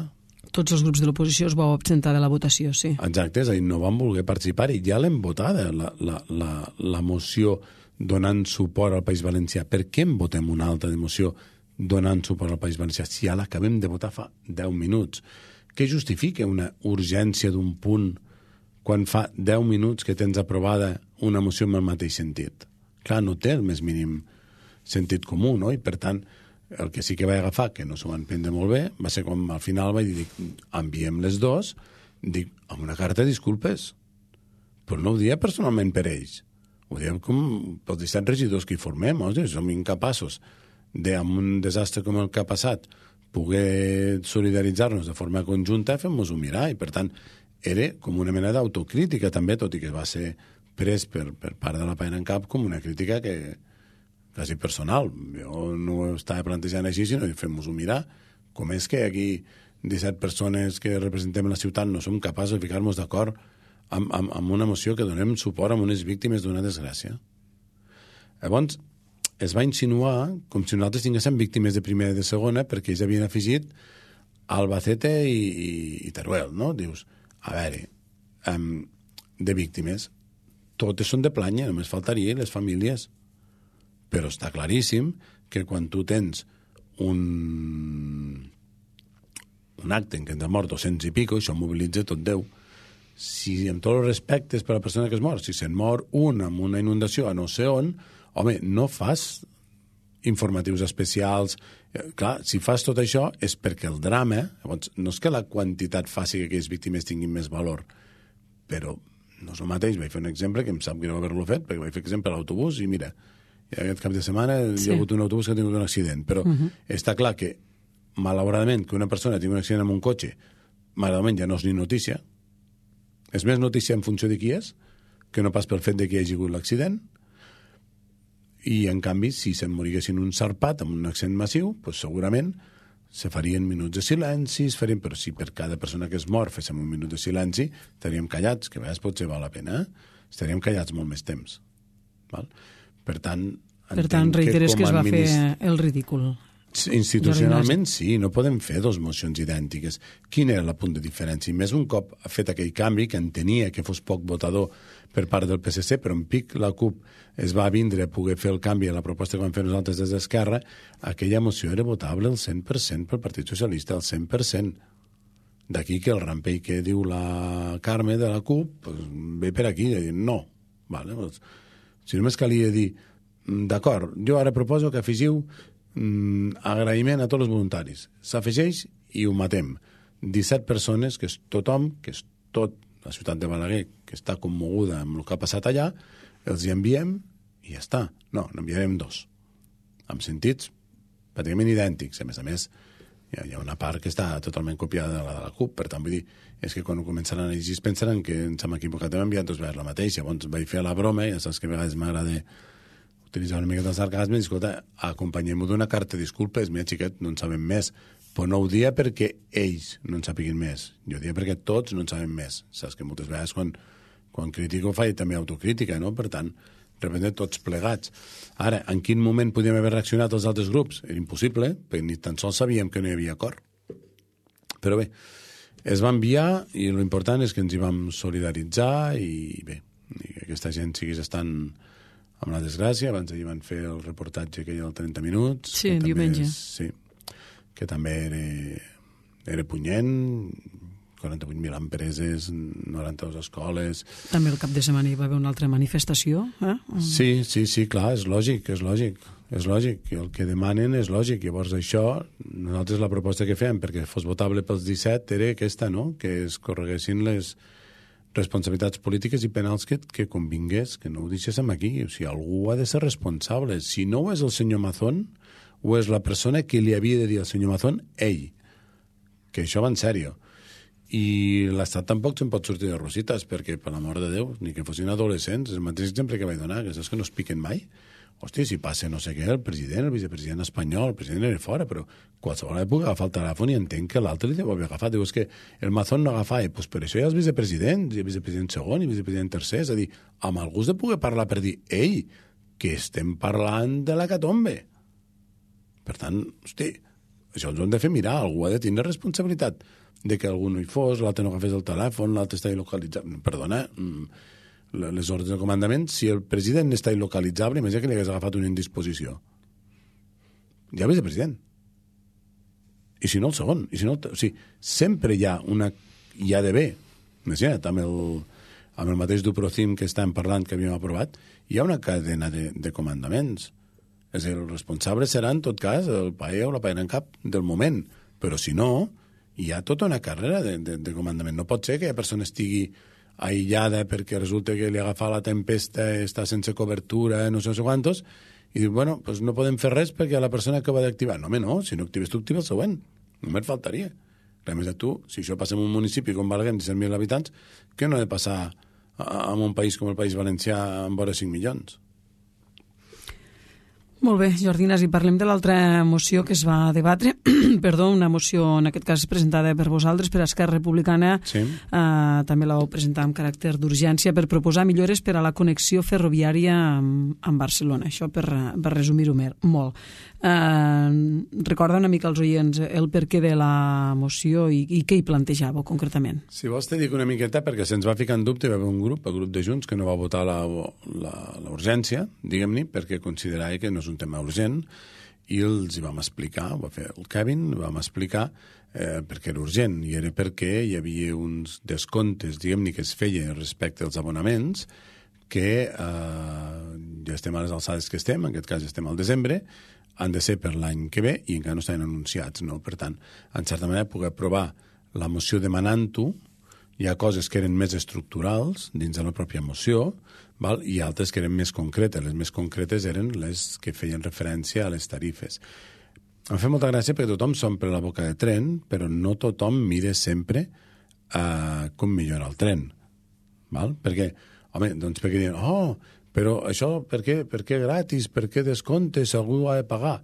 [SPEAKER 2] Tots els grups de l'oposició es vau absentar de la votació, sí.
[SPEAKER 3] Exacte, és a dir, no van voler participar i ja l'hem votada, la, la, la, la moció donant suport al País Valencià. Per què en votem una altra moció donant suport al País Valencià si ja l'acabem de votar fa deu minuts? Què justifica una urgència d'un punt quan fa deu minuts que tens aprovada una moció amb el mateix sentit? Clar, no té el més mínim sentit comú, no? I per tant, el que sí que vaig agafar, que no s'ho van prendre molt bé, va ser com al final vaig dir, enviem les dos, dic, amb una carta de disculpes. Però no ho dia personalment per ells. Ho diem com pels disset regidors que hi formem, o sigui, som incapaços de, amb un desastre com el que ha passat, poder solidaritzar-nos de forma conjunta, fem-nos-ho mirar, i per tant era com una mena d'autocrítica també, tot i que va ser pres per, per part de la PAENCAP com una crítica que quasi personal. Jo no ho estava plantejant així, sinó fem-nos-ho mirar. Com és que aquí disset persones que representem la ciutat no som capaços de ficar-nos d'acord amb, amb, amb una moció que donem suport a unes víctimes d'una desgràcia? Llavors, es va insinuar com si nosaltres tinguéssim víctimes de primera i de segona perquè ells havien afegit Albacete i, i, i Teruel, no? Dius, a veure, um, de víctimes, totes són de planya, només faltaria les famílies. Però està claríssim que quan tu tens un, un acte en què han mort dos-cents i pico, això mobilitza tot Déu. Si amb tots els respectes per a la persona que es mor, si se'n mor un amb una inundació a no sé on, home, no fas informatius especials. Clar, si fas tot això és perquè el drama, llavors, no és que la quantitat faci que aquelles víctimes tinguin més valor, però no és el mateix. Vaig fer un exemple que em sap greu haver-lo fet, perquè vaig fer exemple a l'autobús i mira, aquest cap de setmana sí. Hi ha hagut un autobús que ha tingut un accident, però uh -huh. està clar que, malauradament, que una persona tingui un accident amb un cotxe, malauradament ja no és ni notícia, és més notícia en funció de qui és, que no pas pel fet de que hi hagi hagut l'accident, i en canvi, si se'n moriguessin un sarpat amb un accident massiu, doncs segurament se farien minuts de silenci, es farien, però si per cada persona que es mor féssim un minut de silenci, estaríem callats, que a vegades potser val la pena, eh? Estaríem callats molt més temps. Val? Per tant,
[SPEAKER 2] per tant reiteres que, que es va administ... fer el ridícul.
[SPEAKER 3] Institucionalment sí, no podem fer dos mocions idèntiques. Quin era el punt de diferència? I més un cop ha fet aquell canvi, que entenia que fos poc votador per part del P S C, però en pic la CUP es va vindre a poder fer el canvi a la proposta que vam fer nosaltres des d'Esquerra, aquella moció era votable al cent per cent pel Partit Socialista, al cent per cent. D'aquí que el rampell que diu la Carme de la CUP pues, ve per aquí, de dir no. Vale, pues, si només calia dir d'acord, jo ara proposo que afegiu Mm, agraïment a tots els voluntaris. S'afegeix i ho matem. disset persones, que és tothom, que és tot la ciutat de Balaguer, que està commoguda amb el que ha passat allà, els hi enviem i ja està. No, n'enviarem dos. Amb sentits pràcticament idèntics. A més a més, hi ha, hi ha una part que està totalment copiada de la de la CUP, per tant, vull dir, és que quan començaran a llegir pensaran que ens hem equivocat, hem enviat dos vegades la mateixa. Llavors vaig fer la broma, i ja saps que a vegades m'agrada utilitzar una mica de sarcasme, i escolta, acompanyem-ho d'una carta de disculpes, mira, xiquet, no en sabem més. Però no ho dia perquè ells no en sàpiguin més. Jo ho dia perquè tots no en sabem més. Saps que moltes vegades quan, quan critico faig també autocrítica, no? Per tant, reprenem tots plegats. Ara, en quin moment podíem haver reaccionat els altres grups? Era impossible, perquè ni tan sols sabíem que no hi havia acord. Però bé, es va enviar i l'important és que ens hi vam solidaritzar i bé, i que aquesta gent siguis estant amb la desgràcia. Abans ahir van fer el reportatge que hi ha el trenta minuts.
[SPEAKER 2] Sí, diumenge.
[SPEAKER 3] És, sí, que també era, era punyent, quaranta-vuit mil empreses, noranta-dues escoles...
[SPEAKER 2] També el cap de setmana hi va haver una altra manifestació, eh?
[SPEAKER 3] Sí, sí, sí, clar, és lògic, és lògic, és lògic. El que demanen és lògic. Llavors això, nosaltres la proposta que fèiem perquè fos votable pels disset era aquesta, no?, que es correguessin les responsabilitats polítiques i penals que, que convingués, que no ho deixéssim aquí. O sigui, algú ha de ser responsable. Si no ho és el senyor Mazón, o és la persona que li havia de dir al senyor Mazón, ell, que això va en sèrio. I l'Estat tampoc se'n pot sortir de rosites, perquè, per l'amor de Déu, ni que fossin adolescents, és el mateix exemple que vaig donar, que saps que no es piquen mai. Hòstia, si passa no sé què, el president, el vicepresident espanyol, el president era fora, però qualsevol època agafa el telèfon i entenc que l'altre li deu haver agafat. Diu, és que el Mazón no agafa, doncs per això hi ha els vicepresidents, i el vicepresident segon, i el vicepresident tercer, és a dir, amb el gust de poder parlar per dir, ei, que estem parlant de la catombe. Per tant, hosti, això ens ho hem de fer mirar, algú ha de tenir responsabilitat de que algú no hi fos, l'altre no agafés el telèfon, l'altre està il·localitzat. Perdona, les ordres de comandament, si el president està il·localitzable, imagina que li hagués agafat una indisposició. Ja el vicepresident. I si no el segon. I si no el... O sigui, sempre hi ha una... Hi ha d'haver, imagina't, amb el, amb el mateix Duprocim que estàvem parlant, que havíem aprovat, hi ha una cadena de, de comandaments. És a dir, el responsable serà, en tot cas, el paella o la paella en cap del moment. Però si no, hi ha tota una carrera de, de, de comandament. No pot ser que la persona estigui aïllada perquè resulta que li agafa la tempesta, està sense cobertura, no sé, no sé quantos, i diu, bueno, pues no podem fer res perquè la persona acaba d'activar. No, home, no, si no actives tu, activa el següent. Només faltaria. A més de tu, si això passa en un municipi com Balaguer, disset mil habitants, què no ha de passar en un país com el País Valencià amb vora cinc milions?
[SPEAKER 2] Molt bé, Jordi Nasi, parlem de l'altra moció que es va debatre. Perdó, una moció, en aquest cas, presentada per vosaltres, per Esquerra Republicana.
[SPEAKER 3] Sí.
[SPEAKER 2] Uh, també la vau presentar amb caràcter d'urgència per proposar millores per a la connexió ferroviària amb, amb Barcelona. Això per, per resumir-ho molt. Uh, recorda una mica als oients el perquè de la moció i, i què hi plantejàveu concretament.
[SPEAKER 3] Si vols te dic una miqueta, perquè se'ns va ficar en dubte, hi va haver un grup, el grup de Junts, que no va votar la, la, la urgència, diguem-ne, perquè considerava que no és un tema urgent, i els hi vam explicar, ho va fer el Kevin, vam explicar eh, perquè era urgent, i era perquè hi havia uns descomptes, diguem-ne, que es feien respecte als abonaments, que eh, ja estem a les alçades que estem, en aquest cas estem al desembre, han de ser per l'any que ve i encara no estan anunciats, no? Per tant, en certa manera, poder aprovar la moció demanant-ho, hi ha coses que eren més estructurals dins de la pròpia moció, val? I altres que eren més concretes. Les més concretes eren les que feien referència a les tarifes. Em fa molta gràcia perquè tothom s'omple la boca de tren, però no tothom mira sempre uh, com millora el tren. Val? Perquè, home, doncs perquè diuen, oh, però això per què, per què gratis, per què descomptes, algú ha de pagar?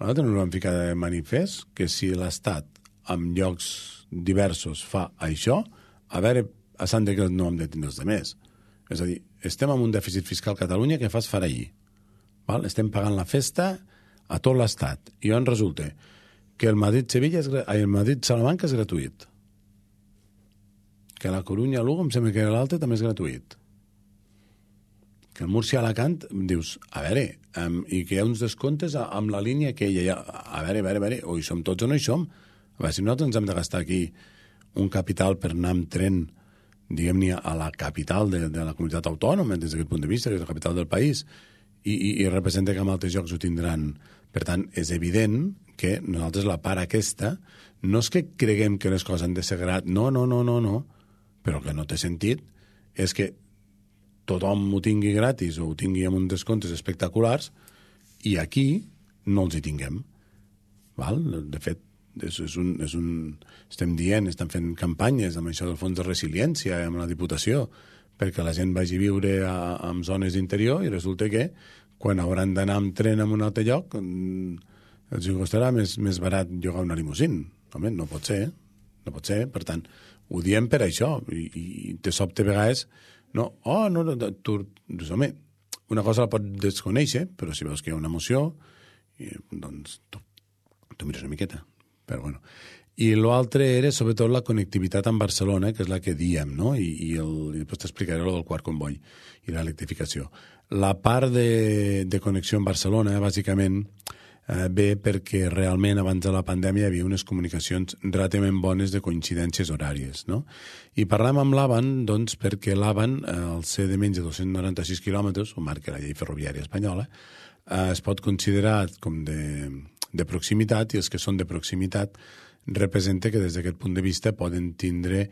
[SPEAKER 3] Nosaltres no vam ficar de manifest que si l'Estat en llocs diversos fa això, a veure, a Sant de Creus no hem de tindre els demés. És a dir, estem amb un dèficit fiscal a Catalunya que fas farallir. Val? Estem pagant la festa a tot l'Estat. I on resulta que el Madrid-Sevilla, el Madrid-Salamanca és gratuït. Que la Corunya-Lugo, em sembla que l'altre també és gratuït. Que el Múrcia-Alacant, dius, a veure, um, i que hi ha uns descomptes amb la línia que hi ha, a veure, a veure, a veure, o hi som tots o no hi som. A veure, si nosaltres ens hem de gastar aquí un capital per anar amb tren, diguem-ne, a la capital de, de la comunitat autònoma, des d'aquest punt de vista, que és la capital del país, i, i, i representa que en altres llocs ho tindran. Per tant, és evident que nosaltres la part aquesta, no és que creguem que les coses han de ser gratis, no, no, no, no, no, però que no té sentit és que tothom ho tingui gratis o ho tingui amb uns descomptes espectaculars i aquí no els hi tinguem. Val? De fet, és, és un, és un, estem dient, estem fent campanyes amb això del fons de resiliència, amb la Diputació, perquè la gent vagi a viure a, a zones d'interior i resulta que quan hauran d'anar amb tren a un altre lloc els costarà més, més barat llogar una limusín. Home, no pot ser, no pot ser. Per tant, ho diem per això i, i de sobte a vegades no, oh, no, no, tu, doncs, home, una cosa la pot desconèixer, però si veus que hi ha una emoció, i, doncs tu, tu mires una miqueta. Però bueno. I l'altre era, sobretot, la connectivitat amb Barcelona, que és la que diem, no? I, i, el, i després t'explicaré el del quart comboi i l'electrificació. La part de, de connexió amb Barcelona, bàsicament, eh, ve perquè realment abans de la pandèmia hi havia unes comunicacions relativament bones de coincidències horàries, no? I parlem amb l'Avan, doncs, perquè l'Avan, eh, al ser de menys de dos-cents noranta-sis quilòmetres, ho marca la llei ferroviària espanyola, eh, es pot considerar com de, de proximitat, i els que són de proximitat representa que des d'aquest punt de vista poden tindre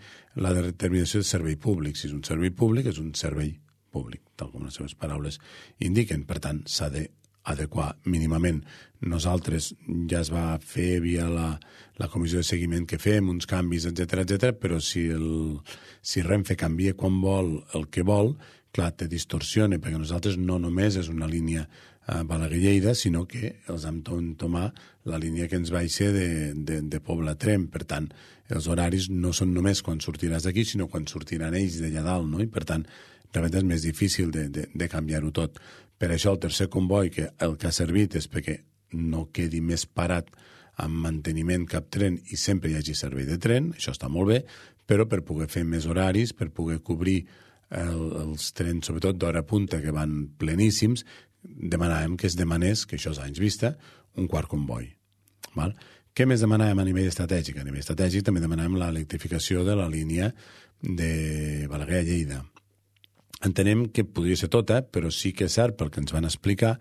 [SPEAKER 3] la determinació de servei públic. Si és un servei públic, és un servei públic, tal com les seves paraules indiquen. Per tant, s'ha d'adequar mínimament. Nosaltres ja es va fer via la, la comissió de seguiment que fem, uns canvis, etcètera, etcètera, però si, el, si Renfe canvia quan vol el que vol, clar, te distorsiona, perquè nosaltres no només és una línia a Balaguer-Lleida, sinó que els hem tomar la línia que ens baixa de, de, de Pobla-Trem. Per tant, els horaris no són només quan sortiràs d'aquí, sinó quan sortiran ells d'allà dalt, no? I per tant, realment és més difícil de, de, de canviar-ho tot. Per això el tercer comboi, que el que ha servit és perquè no quedi més parat amb manteniment cap tren i sempre hi hagi servei de tren, això està molt bé, però per poder fer més horaris, per poder cobrir el, els trens, sobretot d'hora punta, que van pleníssims, demanàvem que es demanés, que això és anys vista, un quart comboi. Val? Què més demanàvem a nivell estratègic? A nivell estratègic també demanàvem l'electrificació de la línia de Balaguer a Lleida. Entenem que podria ser tota, però sí que és cert, pel que ens van explicar,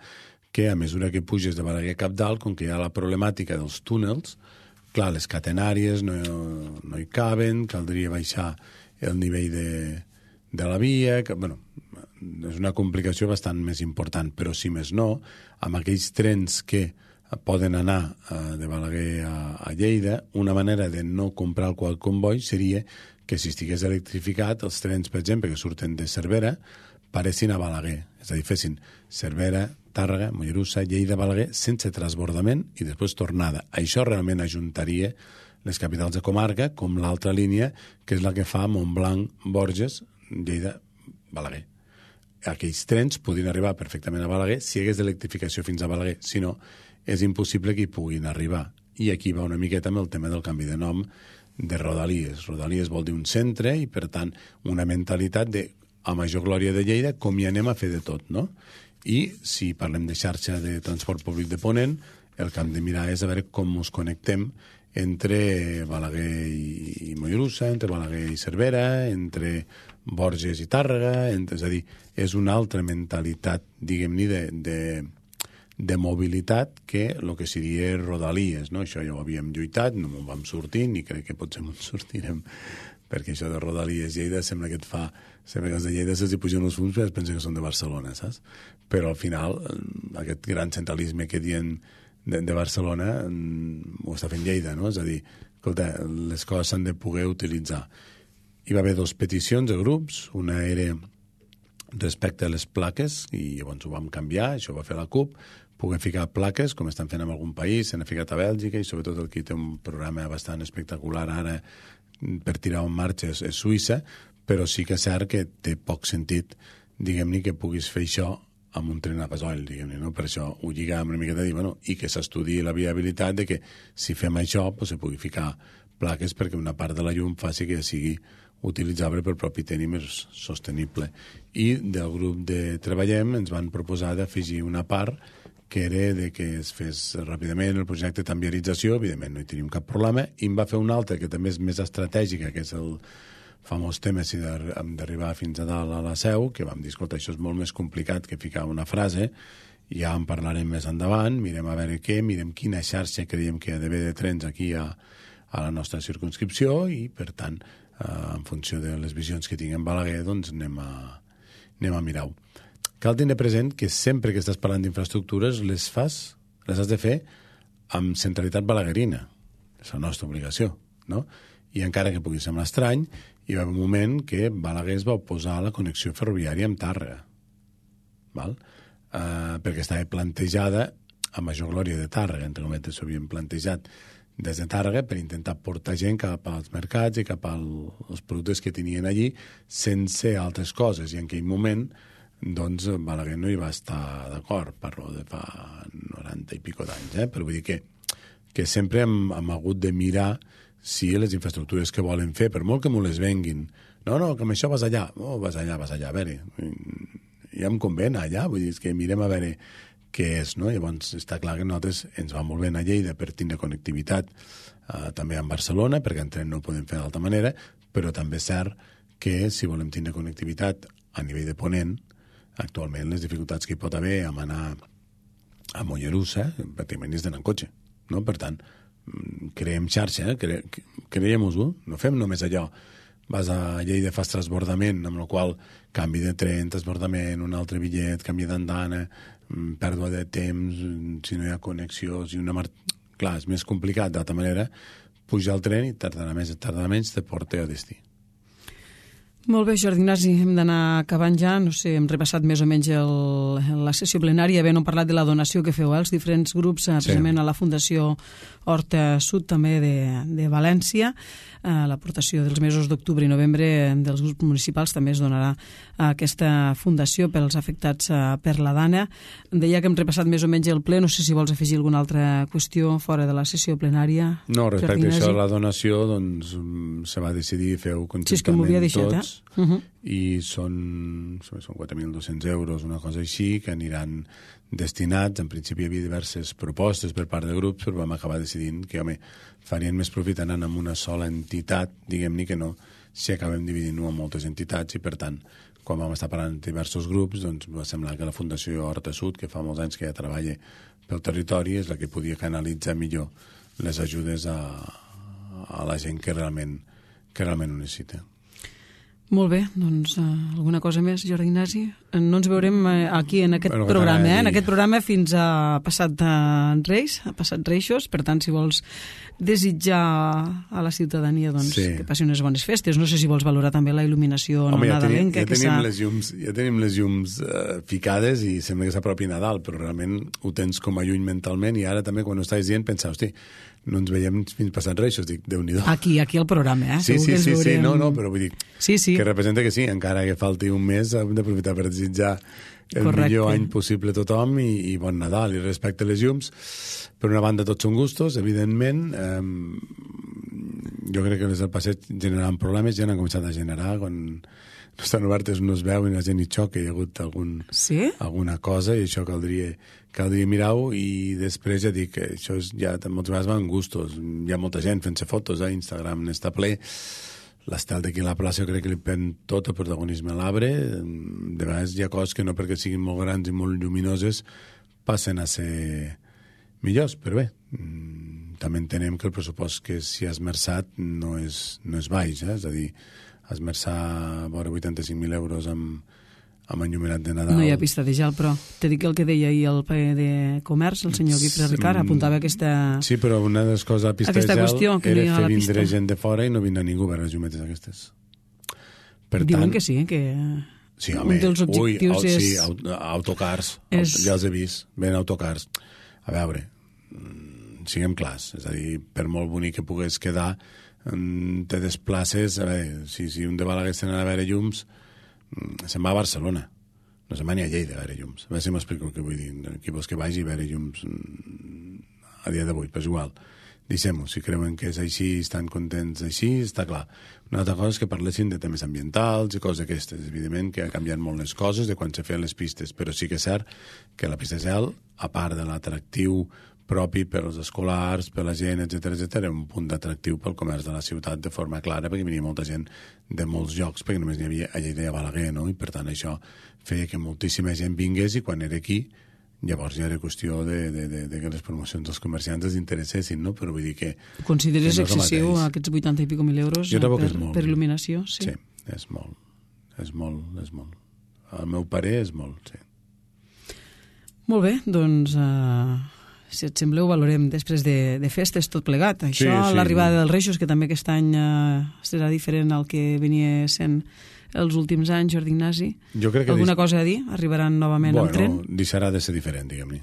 [SPEAKER 3] que a mesura que puges de Balaguer a Capdalt, com que hi ha la problemàtica dels túnels, clar, les catenàries no, no hi caben, caldria baixar el nivell de, de la via, que, bueno, és una complicació bastant més important, però si més no, amb aquells trens que poden anar uh, de Balaguer a, a Lleida, una manera de no comprar el quart comboi seria que si estigués electrificat, els trens, per exemple, que surten de Cervera, paressin a Balaguer, és a dir, fessin Cervera, Tàrrega, Mollerussa, Lleida, Balaguer, sense transbordament i després tornada. Això realment ajuntaria les capitals de comarca, com l'altra línia, que és la que fa Montblanc, Borges, Lleida, Balaguer. Aquells trens podien arribar perfectament a Balaguer si hi hagués electrificació fins a Balaguer. Si no, és impossible que hi puguin arribar. I aquí va una miqueta amb el tema del canvi de nom de Rodalies. Rodalies vol dir un centre i, per tant, una mentalitat de, a major glòria de Lleida, com hi anem a fer de tot, no? I si parlem de xarxa de transport públic de Ponent, el que hem de mirar és a veure com ens connectem entre Balaguer i Mollerussa, entre Balaguer i Cervera, entre Borges i Tàrrega, entre, és a dir, és una altra mentalitat, diguem-ne, de, de, de mobilitat que el que seria Rodalies, no? Això ja ho havíem lluitat, no en vam sortir, ni crec que potser ens sortirem, perquè això de Rodalies Lleida sembla que et fa, sembla que els de Lleida se'ls hi pugen els fums, però es pensa que són de Barcelona, saps? Però al final, aquest gran centralisme que dient de, de Barcelona ho està fent Lleida, no? És a dir, escolta, les coses s'han de poder utilitzar. Hi va haver dues peticions de grups, una era respecte a les plaques, i llavors ho vam canviar, això ho va fer la CUP, poder ficar plaques, com estan fent en algun país, s'han ficat a Bèlgica, i sobretot el que té un programa bastant espectacular ara per tirar en marxa és, és Suïssa, però sí que és cert que té poc sentit, diguem-ne, que puguis fer això amb un tren a gasoil, diguem-ne, no? Per això ho lligàvem una miqueta a dir, bueno, i que s'estudiï la viabilitat de que si fem això, pues, se pugui ficar plaques perquè una part de la llum faci que sigui utilitzable per propi tenir més sostenible. I del grup de Treballem ens van proposar d'afegir una part que era de que es fes ràpidament el projecte de tanviarització, evidentment no hi tenim cap problema, i em va fer una altra que també és més estratègica, que és el famós tema si hem d'arribar fins a dalt a la Seu, que vam dir, escolta, això és molt més complicat que ficar una frase, ja en parlarem més endavant, mirem a veure què, mirem quina xarxa creiem que hi ha d'haver de trens aquí a, a la nostra circumscripció i, per tant, eh, en funció de les visions que tinguem Balaguer, doncs anem a, anem a mirar-ho. Cal tenir present que sempre que estàs parlant d'infraestructures les fas, les has de fer amb centralitat balaguerina. És la nostra obligació, no? I encara que pugui semblar estrany, hi va haver un moment que Balaguer es va oposar a la connexió ferroviària amb Tàrrega, val? Uh, perquè estava plantejada a major glòria de Tàrrega, entre cometes, s'ho havien plantejat des de Tàrrega per intentar portar gent cap als mercats i cap als productes que tenien allí sense altres coses, i en aquell moment doncs Balaguer no hi va estar d'acord, parlo de fa noranta i pico d'anys, eh? Però vull dir que, que sempre hem, hem hagut de mirar si les infraestructures que volen fer, per molt que m'ho les venguin, no, no, que amb això vas allà, oh, vas allà, vas allà, a veure, ja em convé anar allà, vull dir, és que mirem a veure què és, no? Llavors està clar que nosaltres ens va molt bé a Lleida per tindre connectivitat eh, també amb Barcelona, perquè en tren no ho podem fer d'altra manera, però també és cert que si volem tindre connectivitat a nivell de Ponent, actualment les dificultats que hi pot haver amb anar a Mollerussa, pràcticament és d'anar en cotxe, no? Per tant, creem xarxa, cre creiem-ho, no fem només allò, vas a Lleida, fas transbordament, amb el qual canvi de tren, transbordament, un altre bitllet, canvi d'andana, pèrdua de temps, si no hi ha connexió, si una mar... Clar, és més complicat, d'altra manera, pujar al tren i tardarà més, tardarà menys, te porta a destí.
[SPEAKER 2] Molt bé, Jordi Ignasi, hem d'anar acabant ja. No sé, hem repassat més o menys el, la sessió plenària, havent parlat de la donació que feu als diferents grups, sí, precisament a la Fundació Horta Sud, també de, de València. Eh, l'aportació dels mesos d'octubre i novembre dels grups municipals també es donarà a aquesta fundació pels afectats eh, per la Dana. Deia que hem repassat més o menys el ple, no sé si vols afegir alguna altra qüestió fora de la sessió plenària.
[SPEAKER 3] No, respecte a això de la donació, doncs se va decidir fer-ho conjuntament
[SPEAKER 2] sí, deixat,
[SPEAKER 3] tots,
[SPEAKER 2] eh? Uh-huh.
[SPEAKER 3] I són, són quatre mil dos-cents euros, una cosa així, que aniran destinats. En principi hi havia diverses propostes per part de grups, però vam acabar decidint que, home, farien més profit anant amb una sola entitat, diguem-ne, que no si acabem dividint-ho en moltes entitats, i per tant, quan vam estar parlant de diversos grups, doncs va semblar que la Fundació Horta Sud, que fa molts anys que ja treballa pel territori, és la que podia canalitzar millor les ajudes a, a la gent que realment, que realment ho necessita.
[SPEAKER 2] Molt bé, doncs uh, alguna cosa més, Jordi Ignasi? No ens veurem uh, aquí en aquest bueno, programa, eh? en aquest programa fins a passat uh, Reis, a passat Reixos, per tant, si vols desitjar a la ciutadania doncs, sí. que passi unes bones festes. No sé si vols valorar també la il·luminació
[SPEAKER 3] Home,
[SPEAKER 2] no
[SPEAKER 3] ja tenim,
[SPEAKER 2] nadalenca.
[SPEAKER 3] Ja tenim que les llums, ja tenim les llums uh, ficades i sembla que s'apropi Nadal, però realment ho tens com a lluny mentalment i ara també quan ho estàs dient pensar, hosti, no ens veiem fins passat Reixos, dic, Déu-n'hi-do.
[SPEAKER 2] Aquí, aquí al programa, eh?
[SPEAKER 3] Sí, sí, sí, sí, no, no, però vull dir
[SPEAKER 2] sí, sí.
[SPEAKER 3] que representa que sí, encara que falti un mes hem d'aprofitar per desitjar el
[SPEAKER 2] Correcte.
[SPEAKER 3] millor any possible a tothom i, i bon Nadal. I respecte a les llums, per una banda tots són gustos, evidentment, eh, jo crec que les del passeig generaran problemes, ja n'han començat a generar quan no estan obertes, no es veu i la gent hi xoca, hi ha hagut algun,
[SPEAKER 2] sí?
[SPEAKER 3] alguna cosa i això caldria, caldria mirar-ho i després ja dic que això és, ja moltes vegades van gustos, hi ha molta gent fent-se fotos a Instagram, n'està ple, l'estel d'aquí a la plaça jo crec que li pren tot el protagonisme a l'arbre, de vegades hi ha coses que no perquè siguin molt grans i molt lluminoses passen a ser millors, però bé, també entenem que el pressupost que s'hi ha esmerçat no és, no és baix, eh? És a dir, esmerçar vora vuitanta-cinc mil euros amb, amb enllumenat de Nadal.
[SPEAKER 2] No hi ha pista de gel, però te dic el que deia ahir el P de Comerç, el senyor Guifré Ricard, apuntava aquesta...
[SPEAKER 3] Sí, però una de les coses de la pista de gel qüestió, era fer vindre gent de fora i no vindrà ningú a veure les llumetes aquestes. Per
[SPEAKER 2] Diuen
[SPEAKER 3] tant,
[SPEAKER 2] que sí, que...
[SPEAKER 3] Sí, home,
[SPEAKER 2] un dels objectius
[SPEAKER 3] ui,
[SPEAKER 2] és...
[SPEAKER 3] sí, autocars, és... ja els he vist, ven autocars. A veure, siguem clars, és a dir, per molt bonic que pogués quedar, te desplaces, a veure, si, si un de Balaguer s'anà a veure llums, se'n va a Barcelona, no se'n va ni a Lleida a veure llums. A veure si m'explico el que vull dir. Qui vols que vagi a veure llums a dia d'avui, però és igual. Deixem-ho, si creuen que és així, estan contents així, està clar. Una altra cosa és que parlessin de temes ambientals i coses d'aquestes. Evidentment que ha canviat molt les coses de quan se feien les pistes, però sí que és cert que la pista de gel, a part de l'atractiu propi per als escolars, per la gent, etcètera, etcètera, un punt d'atractiu pel comerç de la ciutat de forma clara, perquè venia molta gent de molts llocs, perquè només n'hi havia a Lleida i a Balaguer, no? I per tant això feia que moltíssima gent vingués i quan era aquí, llavors ja era qüestió de, de, de, de que les promocions dels comerciants els interessessin, no? Però vull dir que...
[SPEAKER 2] Consideres
[SPEAKER 3] que no
[SPEAKER 2] excessiu aquests vuitanta i pico mil euros
[SPEAKER 3] jo
[SPEAKER 2] per,
[SPEAKER 3] que és molt,
[SPEAKER 2] per il·luminació? Sí.
[SPEAKER 3] Sí, és molt, és molt, és molt. Al meu parer és molt, sí.
[SPEAKER 2] Molt bé, doncs... Uh... si et sembla ho valorem després de, de festes tot plegat. Això, sí, sí, l'arribada sí. dels Reixos, que també aquest any eh, serà diferent al que venia sent els últims anys, Jordi Ignasi.
[SPEAKER 3] Jo crec que
[SPEAKER 2] alguna
[SPEAKER 3] dis...
[SPEAKER 2] cosa a dir? Arribaran novament
[SPEAKER 3] bueno,
[SPEAKER 2] amb tren?
[SPEAKER 3] Bueno, deixarà de ser diferent, diguem-ne.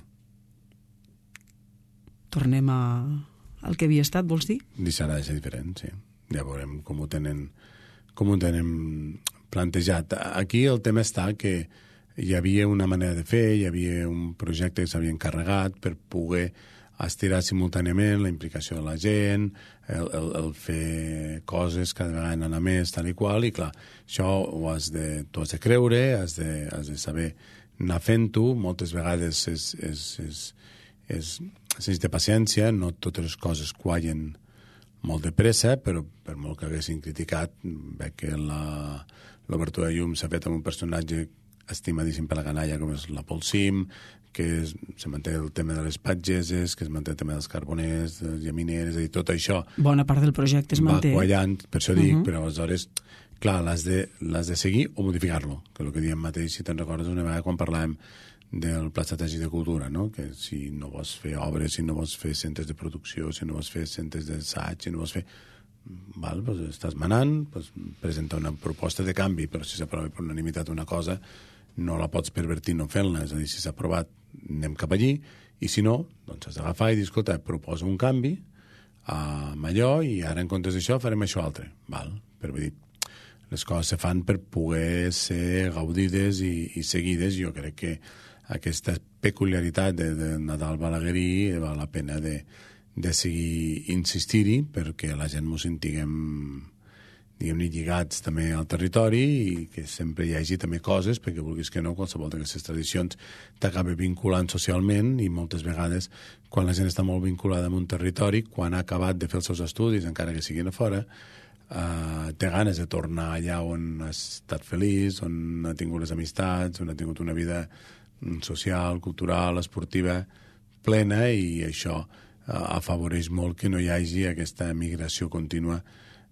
[SPEAKER 2] Tornem a... al que havia estat, vols dir?
[SPEAKER 3] Deixarà de ser diferent, sí. Ja veurem com ho tenen, com ho tenen plantejat. Aquí el tema està que hi havia una manera de fer, hi havia un projecte que s'havia encarregat per poder estirar simultàniament la implicació de la gent, el, el, el fer coses cada vegada anar més, tal i qual, i clar, això ho has de, tu has de creure, has de, has de saber anar fent-ho, moltes vegades és, és, és, és, sense de paciència, no totes les coses quallen molt de pressa, però per molt que haguessin criticat, veig que la, l'obertura de llum s'ha fet amb un personatge estimadíssim per la canalla com és la Pol Sim, que es, se manté el tema de les patgeses, que es manté el tema dels carboners, de les llamineres, és a dir, tot això...
[SPEAKER 2] Bona part del projecte es manté.
[SPEAKER 3] Va quallant, per això dic, uh -huh. però aleshores, clar, l'has de, l'has de seguir o modificar-lo, que és el que diem mateix, si te'n recordes una vegada quan parlàvem del Pla Estratègic de Cultura, no? Que si no vols fer obres, si no vols fer centres de producció, si no vols fer centres d'assaig, si no vols fer... Val, doncs estàs manant, doncs presenta una proposta de canvi, però si s'aprova per unanimitat una cosa, no la pots pervertir no fent-la, és a dir, si s'ha aprovat anem cap allí, i si no, doncs has d'agafar i dir, escolta, proposa un canvi amb allò i ara en comptes d'això farem això altre, val? Però vull dir, les coses se fan per poder ser gaudides i, i seguides. Jo crec que aquesta peculiaritat de, de Nadal balaguerí val la pena de, de seguir insistir-hi perquè la gent mos sentiguem diguem-ne, lligats també al territori i que sempre hi hagi també coses, perquè vulguis que no, qualsevol d'aquestes tradicions t'acaba vinculant socialment i moltes vegades quan la gent està molt vinculada amb un territori, quan ha acabat de fer els seus estudis, encara que siguin a fora, eh, té ganes de tornar allà on ha estat feliç, on ha tingut les amistats, on ha tingut una vida social, cultural, esportiva plena, i això eh, afavoreix molt que no hi hagi aquesta migració contínua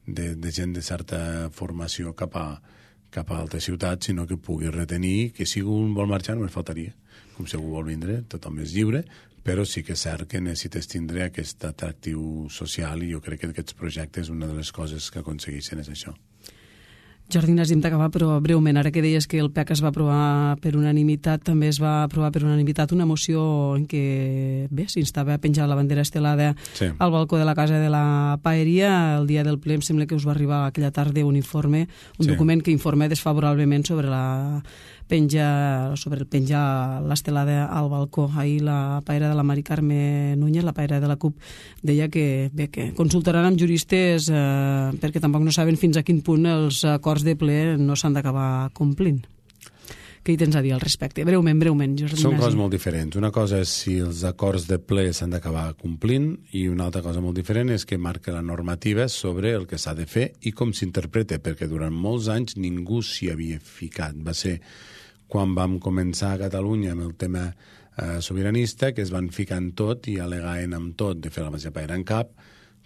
[SPEAKER 3] de, de gent de certa formació cap a, cap a altres ciutats, sinó que pugui retenir que si algú vol marxar només faltaria. Com si algú vol vindre, tothom és lliure, però sí que és cert que necessites tindre aquest atractiu social i jo crec que aquests projectes, una de les coses que aconsegueixen és això.
[SPEAKER 2] Jordi Ignasi, hem d'acabar, però breument, ara que deies que el P E C es va aprovar per unanimitat, també es va aprovar per unanimitat una moció en què, bé, s'instava a penjar la bandera estelada sí. al balcó de la casa de la Paeria. El dia del ple em sembla que us va arribar aquella tarda un informe, un sí. document que informa desfavorablement sobre la penja, sobre el penjar l'estelada al balcó. Ahir la paera de la Mari Carme Núñez, la paera de la CUP, deia que, bé, que consultaran amb juristes eh, perquè tampoc no saben fins a quin punt els acords de ple no s'han d'acabar complint. Què hi tens a dir al respecte? Breument, breument, Jordi.
[SPEAKER 3] Són coses molt diferents. Una cosa és si els acords de ple s'han d'acabar complint i una altra cosa molt diferent és que marca la normativa sobre el que s'ha de fer i com s'interpreta, perquè durant molts anys ningú s'hi havia ficat. Va ser quan vam començar a Catalunya amb el tema eh, sobiranista, que es van ficar en tot i al·legaven amb tot de fer la mateixa paera en cap,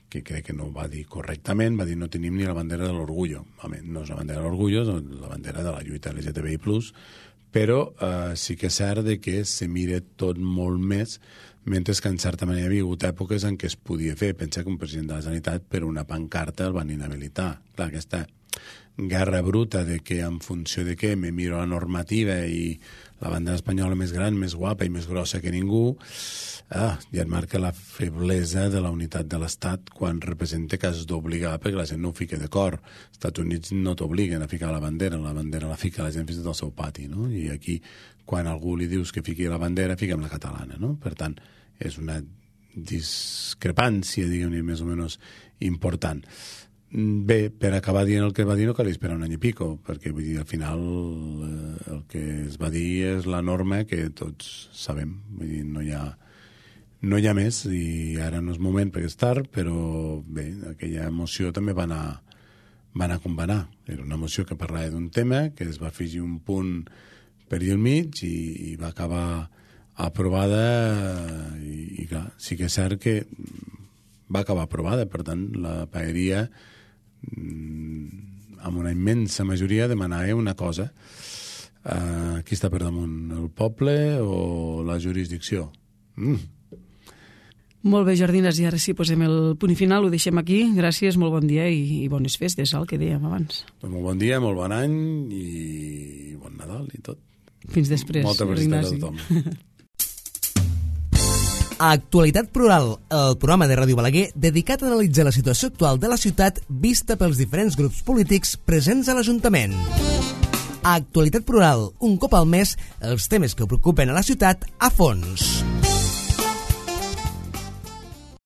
[SPEAKER 3] que crec que no ho va dir correctament, va dir no tenim ni la bandera de l'orgullo. Home, no és la bandera de l'orgullo, és la bandera de la lluita L G T B I plus, però eh, sí que és cert de que se mira tot molt més, mentre que en certa manera hi havia hagut èpoques en què es podia fer. Pensa que un president de la Generalitat per una pancarta el van inhabilitar. Clar, aquesta guerra bruta de que en funció de què me miro la normativa i la bandera espanyola més gran, més guapa i més grossa que ningú, ah, ja et marca la feblesa de la unitat de l'Estat quan representa que has d'obligar perquè la gent no ho fica d'acord. Els Estats Units no t'obliguen a ficar la bandera, la bandera la fica la gent fins i tot al seu pati, no? I aquí, quan algú li dius que fiqui la bandera, fiquem la catalana, no? Per tant, és una discrepància, diguem-ne, més o menys important. Bé, per acabar dient el que va dir no cal esperar un any i pico, perquè vull dir, al final eh, el que es va dir és la norma que tots sabem, vull dir, no hi ha no hi ha més i ara no és moment perquè és tard, però bé, aquella moció també va anar, va anar com va anar. Era una moció que parlava d'un tema, que es va afegir un punt per allà al mig i, i va acabar aprovada i, i clar, sí que és cert que va acabar aprovada, per tant la paeria amb una immensa majoria demanava una cosa, uh, qui està per damunt, el poble o la jurisdicció? Mm.
[SPEAKER 2] Molt bé, Jordi Ignasi, ara sí posem el punt final, ho deixem aquí. Gràcies, molt bon dia i, i bones festes, el que dèiem abans.
[SPEAKER 3] Pues molt bon dia, molt bon any i bon Nadal i tot.
[SPEAKER 2] Fins després,
[SPEAKER 3] Molta
[SPEAKER 2] Jordi Ignasi.
[SPEAKER 3] Molta felicitat a tothom.
[SPEAKER 1] Actualitat Plural, el programa de Ràdio Balaguer dedicat a analitzar la situació actual de la ciutat vista pels diferents grups polítics presents a l'Ajuntament. Actualitat Plural, un cop al mes, els temes que preocupen a la ciutat a fons.